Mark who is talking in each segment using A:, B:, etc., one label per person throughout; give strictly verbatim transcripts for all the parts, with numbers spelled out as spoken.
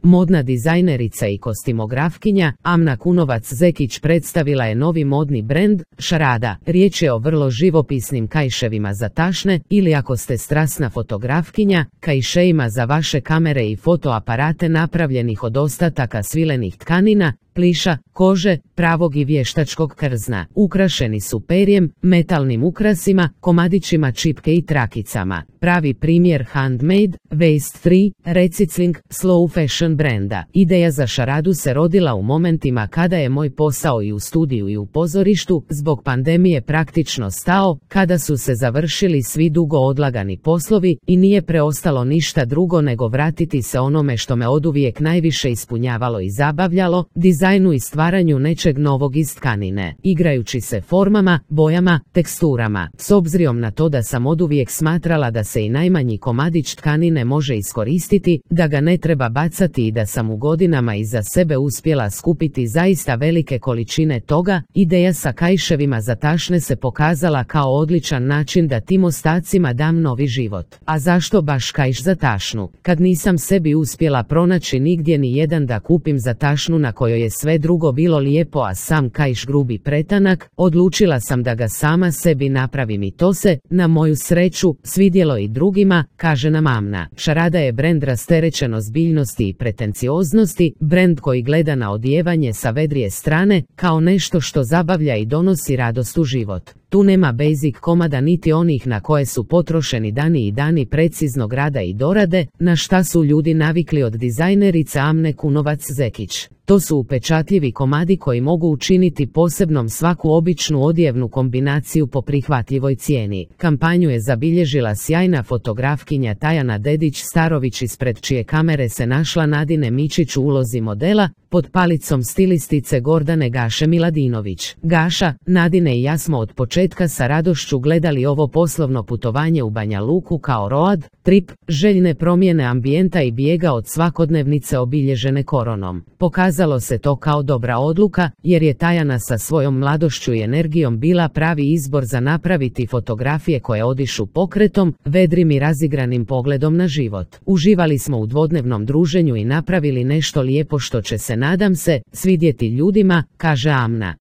A: modna dizajnerica i kostimografkinja, Amna Kunovac-Zekić predstavila je novi modni brend, Šarada. Riječ je o vrlo živopisnim kaiševima za tašne, ili ako ste strasna fotografkinja, kaišeima za vaše kamere i fotoaparate napravljenih od ostataka svilenih tkanina, pliša, kože, pravog i vještačkog krzna. Ukrašeni su perjem, metalnim ukrasima, komadićima čipke i trakicama. Pravi primjer handmade, waste free, recicling, slow fashion brenda. Ideja za Šaradu se rodila u momentima kada je moj posao i u studiju i u pozorištu zbog pandemije praktično stao, kada su se završili svi dugo odlagani poslovi i nije preostalo ništa drugo nego vratiti se onome što me oduvijek najviše ispunjavalo i zabavljalo, dizajnu i stvaranju nečeg novog iz tkanine, igrajući se formama, bojama, teksturama. S obzirom na to da sam oduvijek smatrala da se i najmanji komadić tkanine može iskoristiti, da ga ne treba bacati i da sam u godinama iza sebe uspjela skupiti zaista velike količine toga, ideja sa kaiševima za tašne se pokazala kao odličan način da tim ostacima dam novi život. A zašto baš kaiš za tašnu? Kad nisam sebi uspjela pronaći nigdje ni jedan da kupim za tašnu na kojoj je sve drugo bilo lijepo a sam kaiš grubi pretanak, odlučila sam da ga sama sebi napravim i to se, na moju sreću, svidjelo i drugima, kaže nam Amna. Šarada je brend rasterećen ozbiljnosti i pretencioznosti, brend koji gleda na odijevanje sa vedrije strane, kao nešto što zabavlja i donosi radost u život. Tu nema basic komada niti onih na koje su potrošeni dani i dani preciznog rada i dorade, na šta su ljudi navikli od dizajnerice Amne Kunovac-Zekić. To su upečatljivi komadi koji mogu učiniti posebnom svaku običnu odjevnu kombinaciju po prihvatljivoj cijeni. Kampanju je zabilježila sjajna fotografkinja Tajana Dedić-Starović ispred čije kamere se našla Nadine Mičić u ulozi modela, pod palicom stilistice Gordane Gaše Miladinović. Gaša, Nadine i ja smo od početka sa radošću gledali ovo poslovno putovanje u Banja Luku kao road trip, željne promjene ambijenta i bijega od svakodnevnice obilježene koronom. Pokazalo se to kao dobra odluka, jer je Tajana sa svojom mladošću i energijom bila pravi izbor za napraviti fotografije koje odišu pokretom, vedrim i razigranim pogledom na život. Uživali smo u dvodnevnom druženju i napravili nešto lijepo što će se, nadam se, svidjeti ljudima, kaže Amna.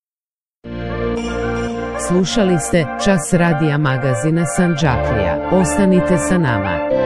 A: Slušali ste Čas radija magazina Sandžaklija. Ostanite sa nama.